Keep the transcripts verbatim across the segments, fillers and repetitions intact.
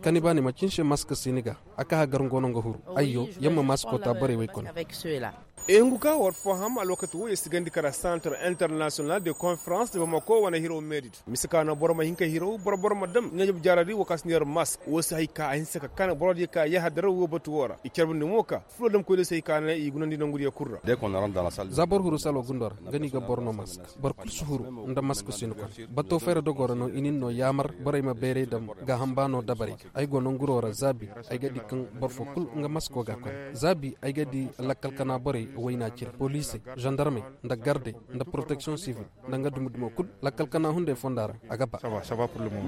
Kani ba ni ma cin se mask si ni ga a ka hagar ngo no nga huru. Ayyo, yamma masko ta borey wey kone. Ehengu ka war fo ham alwakati wo ya sigandi kara santar international de conference de bamako wane hiro medid. Misa ka no boro ma hin ka hiro boro boro ma dam nga jab jaradi wo ka si ni yar mask wo si hay ka a hinsa ka kana boro di ka yahadar wo batu wo ra i carbandi mo ka fulo dam koy de si hay ka na i gunandi nangu di ya kurra. Za boro huru salo gundo ra nga ni ga boro no mask. Boro kul si huru nda mask si ni kone. Bato fayra dogo ra no i nin no yaamar borey ma bayray dam gaaham ba no dabarey ga. Ay go nanguro ra zaabi ay ga di kaŋ boro fo kul nga masko ga a kone. Zaabi ay ga di lakkal kana borey wayna cire poliisey, zandarmey, nda gardey, nda poroteksiyoŋ sivil, nda nga dumi dumo kul lakkal kana hunday fonda ra. A ga ba.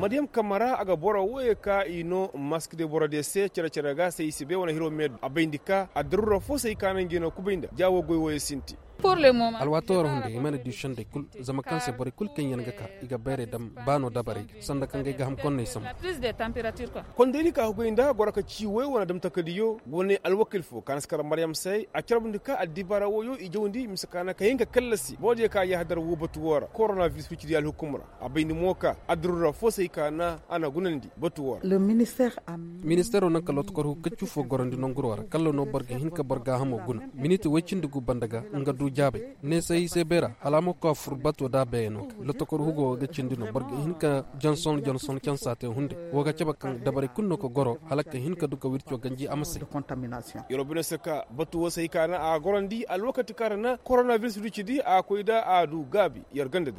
Madiyam kamara a ga boro wooyey ka i no mask de boro de se cere cere ga se i si bay wane hiro meedu a bayndi ka a daruura fo se i ka naŋ ga i no kubay nda ja wo goy wooyey sinti. Alwaati wo ra hunday i mana di sendey kul. Zama kaŋ se borey kul kaŋ yaŋ ga ka i ga bayray dam ba no dabarey ga sanda kaŋ ga ay gaaham konney sambu. Kondaydi ka hugay nda goro ka ci woy wane dam takadiyo wane alwakil fo ka na si kar maryam se a carbundi ka addibaara woyo i jawndi mise ka na ka hin ka kallasi boro diyo ka yahadar woo batu woo ra koronabiris wicidi alhukum ra. A bayndi mo ka addirura fo se i ka na a na gunandi batu woo ra. Ministeero naŋ ka lotokor hukacu fo gorandi nanguro ra kalla no boro ga hin ka boro gaahamo guna miniti woy cindi gu banda ga nga du jaabay. Neesay se beera hala a ma koy a fur bato da a beeyano ga lotokor hugo wo ga cindi no boro ga hin ka janson janson cansa te hunday. Wo ga cabe kaŋ dabarey kulu no ka goro hala ka hin ka du ka wirco ganji a ma say. Yer wo bine se ka batu wo se hay ka na a gorandi alwakati kaŋ ra na koronabiris du cidi a koy da a du gaabi yer ganda di ra.